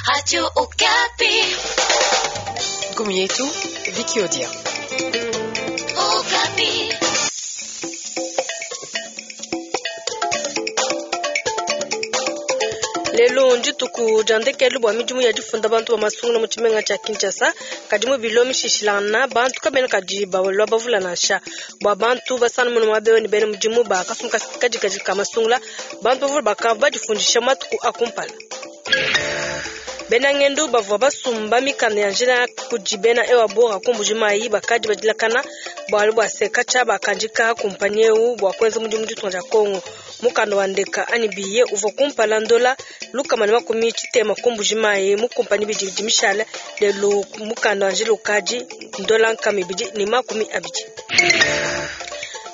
Radio Okapi. Gumi yetu Vicky Odia. Okapi. Lelo ndituku dia ndekelu bua midimu ya difunda bantu ba masungula mu tshimenga tshia Kinshasa, kadi mu bilo mishishilangana bantu kabena kadi balua bavula nansha. Bua bantu basana munu muaba ne bena mudimu ba kasumbu kadikadi ka masungula, bantu bavula bakavua badifundisha matuku a kumpala. Bena ngendu bavua basumba mikanda ya njila kudi bena ewa bora ku Mbuji-Mayi bakadi badilakana bualu bua se katshia bakandika kumpanyi eu bua kuenza mudimu ditunga dia Kongo. Mukanda wa ndeka anyi biye uvua kumpala ndola 160 ku Mbuji-Mayi mu kumpanyi bidi bidi mishale lelu mukanda wa njila ukadi ndola 220.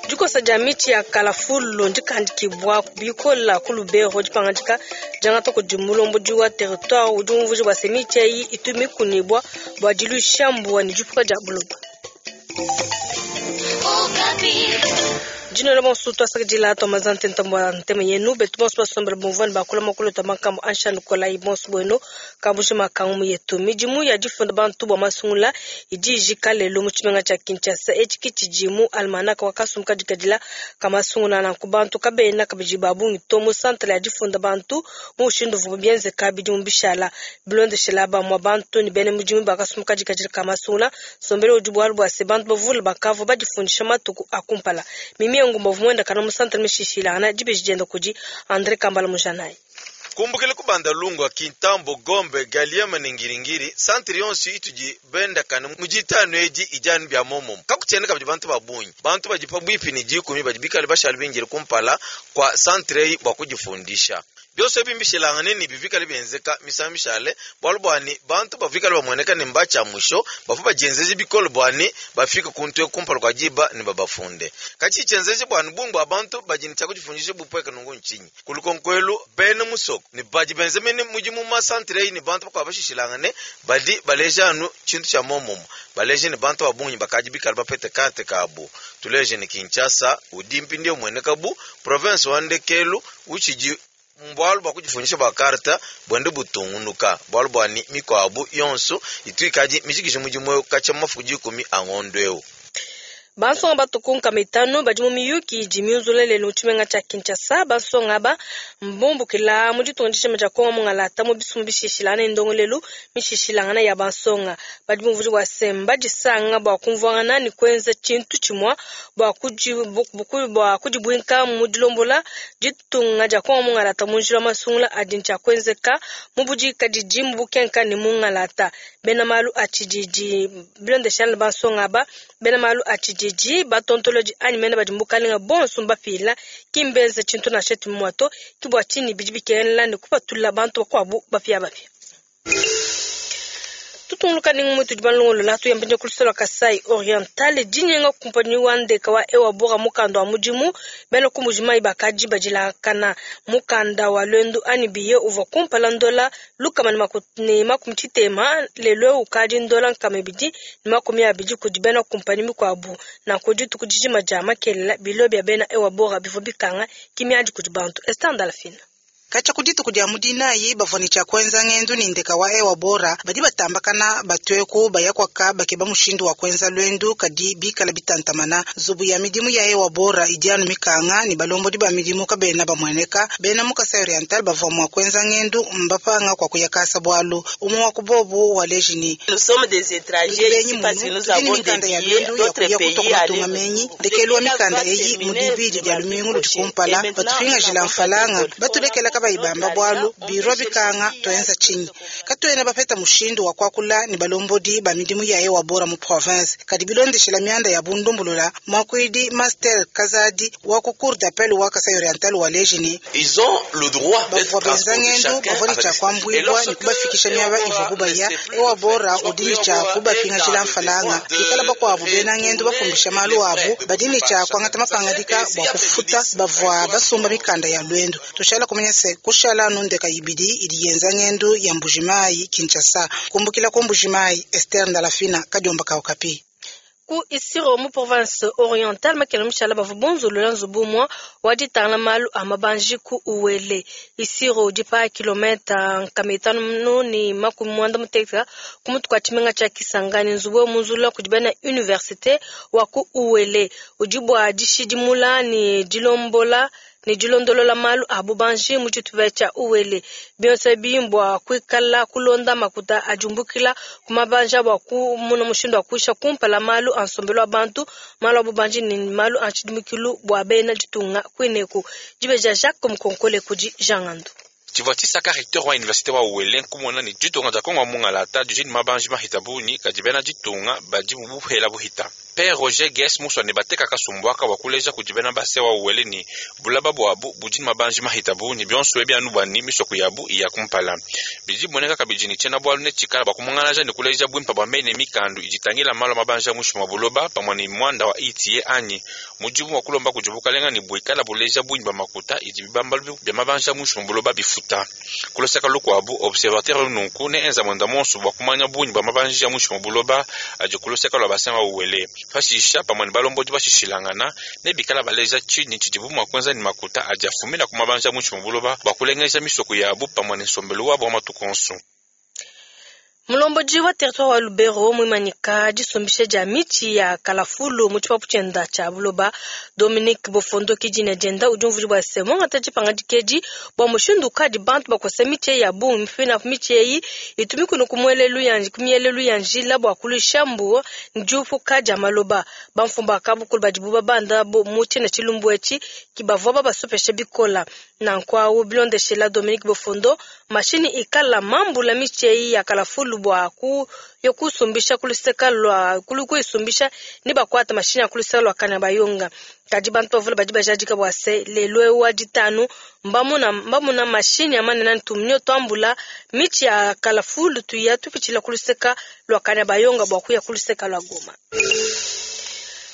Dikosa dia mitshi ya kalafulu ndikandikibwa bikola ku Lubero dipangadika diangata kudi mulombodi wa territoire udi umvuija bua se mitshi eyi itu mikunibwa bua diluisha mbuwa ne dipuka dia buloba. Okapi. Dinola bonso twasakidila twamaza ntenta bua ntema yenu betu bonso basombela bumvua ne bakula makulu twa makambo ansha nikolayi bonso bwenu kabuji makangu mu yetu. Midimu ya difunda bantu bua masungula idi ijika lelo mu tshimenga tshia Kinshasa. Etshi ke tshidi mu almanaka wa kasumbu kadikadila ka masungula nanku bantu kabena kabidi ba bungi to mu santre ya difunda bantu mu mushindu uvua bienzeka bidimu bishala. Bilondeshela bamua bantu ne bena mudimu ba kasumbu kadikadila ka masungula nsombelu udi bualu bua se bantu bavule bakavua badifundisha matuku a kumpala. Mimi Ngumba uvua muendakana mu santre mishishilangana dibeji dienda kudi Andre Kambala Mujanayi. Kumbukila kubanda lungwa Kintambo, Gombe, Galiema ne Ngiringiri, santre yonso itudi bendakana mu ditanu edi idi anu bia momomo. Kakutshiena kabidi bantu ba bungi, bantu badi pabuipi ne dikumi badi bikale bashale bindile kumpala kua santre eyi bua kudifundisha. Bionso ebi mbishilangane ne bivikale bienzeka misangu mishale, bualu buani bantu bavikale bamueneka ne mbatshia musho bavua badienzeje bikole buani bafike kuntu eku kumpala kua diba ne babafunde. Katshi tshienzeje buani bungi bua bantu badi ne tshia kudifundisha bupweka nungu ntshinyi? Kulukonko elu bena musoko ne badi benza mene mudimu mu masantre eyi ne bantu bakuabu bashishilangane badi baleja anu tshintu tshia momomo, baleje ne bantu ba bungi bakadi bikale bapete karte kabu. Tuleje ne Kinshasa udi mpindieu umueneka bu province wa ndekelu utshidi mbualu bua kudifundisha bua karta buende butungunuka, bualu bua ni mikuabu yonso itu ikadi mijikije mudimu eu katshia mafuku 10 a ngondo eu. Bansonga batuku 500 badi mu miyuki idi miunzula lelo mu tshimenga tshia Kinshasa. Bansonga aba mbumbukila mu ditunga dijima dia Kongo mungalata mu bisumbu bishishilangana ne ndongoluelu mishishilangana ya bansonga. Badi bumvuija bua se mbadisanga bua kumvuangana ne kuenza tshintu tshimua bua kudibuinka mu dilombola ditunga dia Kongo mungalata mu njila wa masungula adi ntshia kuenzeka mu budikadidi mu bukenka ne mungalata. Bena malu a tshididi bilondeshana bansonga aba, bena malu a tshididi batontolodi anyi mene badi mukalenga bonso mbapila ki mbenze tshintu nansha tshimue to, ke bua tshinyi bidi bikengela ne kupatula bantu bakuabu bapiabapia. Tutunguluka ne ngumu tudi balongolola tuyamba ku lusolo lua Kasai Oriental dinyenga kumpanyi wa ndeka wa ewa bora mukanda wa mudimu bena ku Mbuji-Mayi bakadi badilakana mukanda wa lwendu anyi biye uvua kumpala ndola 160 lelo ukadi ndola 220 kudi bena kumpanyi mikuabu nanku dituku dijima dia makelela bilo bia bena ewa bora bivua bikanga kimiadi kudi bantu. Esther Ndalafina. Katshia ku dituku dia mudinayi bavua ne tshia kuenza ngendu ne ndeka wa ewa bora badi batambakana batueku bayakwaka bakeba mushindu wa kuenza lwendu kadi bikala bitantamana. Nzubu ya midimu ya ewa bora idi anu mikanga ne balombodi ba midimu kabena bamueneka. Bena mu Kasai Oriental bavua mua kuenza ngendu mbapanga kwa kuyakasa bualu umwe wa kubobu wa lejini. Nous sommes des étrangers ici parce que nous avons Tudi ne des mikanda ya billets lwendu ya d'autres kuya kutoka pays matunga aller menyi ndekelu wa mikanda eyi mu dibidi dia lumingu ludi kumpala batupingajila mfalanga batulekela kabayi bamba bualu biro bikanga tuenza tshinyi katuena bapeta mushindu wa kuakula ne balombodi ba midimu ya ewa bora mu province kadi bilondeshela mianda ya bundumbulula mwakuidi Master Kazadi wa ku cour d'appel wa Kasai Oriental wa lejini. Ils ont le droit d'être Bavua benza transportés ngendu chacun bavua ne avec tshia et kuambuibwa ne lorsque kubafikisha miaba Ewa ivua Bora ne kubaya sait plus ewa le faire, bora soit udi ne Ewa tshia Bora est kubapingajila dans le mfalanga devoir de bikala bakuabu bena ngendu retourner bafumbisha malu les abu frais de badi ne par tshia chacun. kuangata mapangadika Et s'il bua y a kufuta préjudice, bavua basumba mikanda ya lwendu. Tushala kumanya se kushala anu ndeka ibidi idi yenza ngendu ya Mbuji-Mayi Kinshasa. Kumbukila ku Mbuji-Mayi, Esther Ndalafina, Kadiomba ka Okapi. Ku Isiro mu province orientale makela mushala bavua bunzulula nzubu umue wa ditangila malu a mabanji ku Uele. Isiro udi pa kilometa 586 ku mutu kua tshimenga tshia Kisangani. Nzubu eu munzulula kudi bena universite wa ku Uele udi bua dishidimula ne dilombola ne dilondolola malu a bubanji mu tshitupa tshia Uele. Bionso ebi mbua kuikala kulonda makuta adi umbukila ku mabanji bua kumona mushindu wa kuisha kumpala malu a nsombelu wa bantu, malu a bubanji ne malu a tshidimukilu bua bena ditunga kuineku. Dibeja Jacques Mukonkole kudi Jean Ngandu. Tshivua tshisaka recteur wa université wa Uele nkumona ne ditunga dia Kongo mungala didi ne mabanji mahita bungi kadi bena ditunga badi mu buhela buhita. Père Roger Gues muswane bateka kasumbu aka wa kuleja kudi bena base wa Uele ni bulaba bwabu budi ne mabanji mahita bungi bionso ebi anu bwani misoko yabu iya kumpala. Bidi bimoneka kabidi ne tshiena bualu ne tshikala bua kumungalaja ne kuleja bwimpa bua mene mikandu iditangila malu a mabanji a muinshi mua buloba pamue ne mwanda wa ITIE anyi mudimu wa kulomba kudi bukalenga ne buikala buleja bungi bua makuta idi bibambalu bia mabanji a muinshi mua buloba bifuta. Kuloseka lukuabu observateur nunku ne enza mwenda monso bua kumanya bungi bua mabanji a muinshi mua buloba adi kuloseka lua bassin wa Uele. Pashisha pamue ne balombodi bashishilangana ne bikala baleja tshinyi tshidibu mua kuenza ne makuta adi afumina ku mabanji a muinshi mua buloba bua kulengeja misoko yabu pamue ne nsombelu wabu wa matuku onso. Mulombodi wa territoire wa Lubero muimanyika disumbisha dia mitshi ya kalafulu mu tshipapu tshienda tshia buloba. Dominique Bofondo kidina dienda udi umvuija bua se muangata dipangadika edi bua mushindu ukadi bantu bakosa mitshi eyi ya bungi mipina mitshi eyi itumikunu ku mielelu ya njila bua kuluisha mbuwa ne diupuka dia maloba. Bamfumu ba kabukulu badibu babanda mu tshiena tshilumbu etshi ki bavua babasopesha bikola. Nanku awu bilondeshela Dominique Bofondo mashini ikala mambula mitshi eyi ya kalafulu bua ku yo kusumbisha kuluseka lwa kulu kuisumbisha ni bakwata mashini ya kuluseka lwa kana bayonga. Kadi bantu bavule badi bajadika bua se lelo eu wa ditanu mbamuna mbamuna mashini amanene ntumnio twambula mitshi ya kalafulu tuya tupitshila kuluseka lwa kana bayonga bua kuya kuluseka lwa Goma.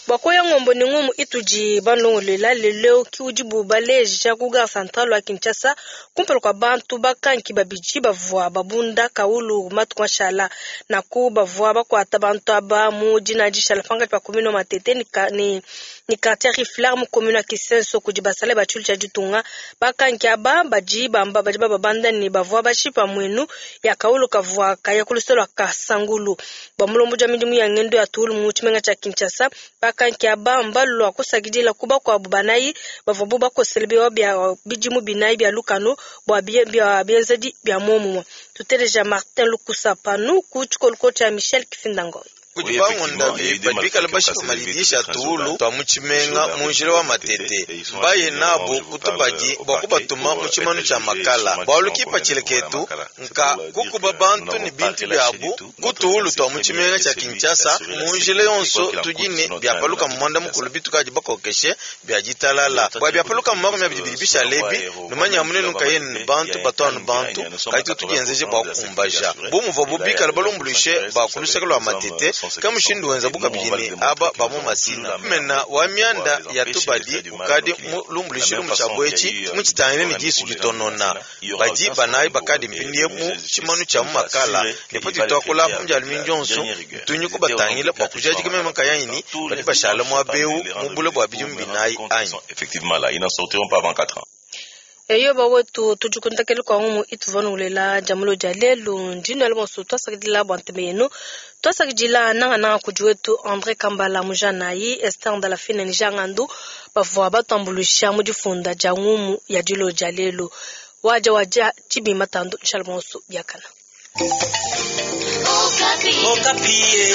Bua kuya ngombo ni ngumu itudi balongolela lelo ki udibu baleja ku gare centrale wa Kinshasa kumpala kua bantu bakanki babidi bavua babunda kaulu matuku mashala naku bavua bakuata bantu aba mu dina dishala pankatshi pa commune wa Matete ni, ni, ni quartier Riflar mu commune wa Kisenso kudi basale ba tshilu tshia ditunga. Bakanki aba badi bamba badi bababanda ne bavua bashipa muenu ya kaulu kavua kaya ku luseke lua Kasangulu. Bua mulombodi wa midimu ya ngendo ya tuulu mu tshimenga tshia Kinshasa, bakanki aba mbalua kusakidila ku bakuabu banayi bavua bu bakosele biwa bia bidimu binayi bia lukanu bua bia bienzedi bia muomumue. Tuteleja Martin Lukusa panu ku tshikoluko tshia Michel Kifindangoy. Kudi bangundabi badi bikala bashipa malidisha tuulu twa mu tshimenga mu njila wa Matete mbaye nabo kutubadi bua kubatuma mu tshimanu tshia makala bualu kipatshila ketu nka kukuba bantu ne bintu biabu ku tuulu twa mu tshimenga tshia Kinshasa mu njila yonso tudi ne biapaluka mu mwanda mukulu bitukadi bakokeshe bia ditalala bua biapaluka mu 22 bishale ebi numanya munenu nkayeni ne bantu batuanu bantu kadi tudienzeje bua kukumbaja bu muvuabu bikala balumbuluishe ba ku luseke lua Matete kamushindu wenza bukabidi ne aba ba mu masina mena wa mianda ya tubadi ukadi mulumbulishilu mu tshiabu etshi mutshitangile ne disu ditonona badi banayi bakadi mpindie mu tshimanu tshia mu makala ne pati tuakula apu mudialu mingi onso tunyi kubatangila bua kujadika meme nkayanyi ni badi bashala muaba eu mu bule bua bidimu binayi anyi. Effectivement, là, ils n'en sortiront pas avant 4 ans. Eyo bawetu tudikuntakele kwa ngumu ituvanungulela jamulo dia lelu ndino ya bonso twasakidila bua nteme yenu twasakidila nangananga kudi wetu André Kambala mujanayi Esther Ndalafine ni Jean Ngandu bavua batambuluisha mu difunda dia ngumu ya dilo dia lelu waja waja tshibima tandu nshala bonso biakana. Okapi. Okapi.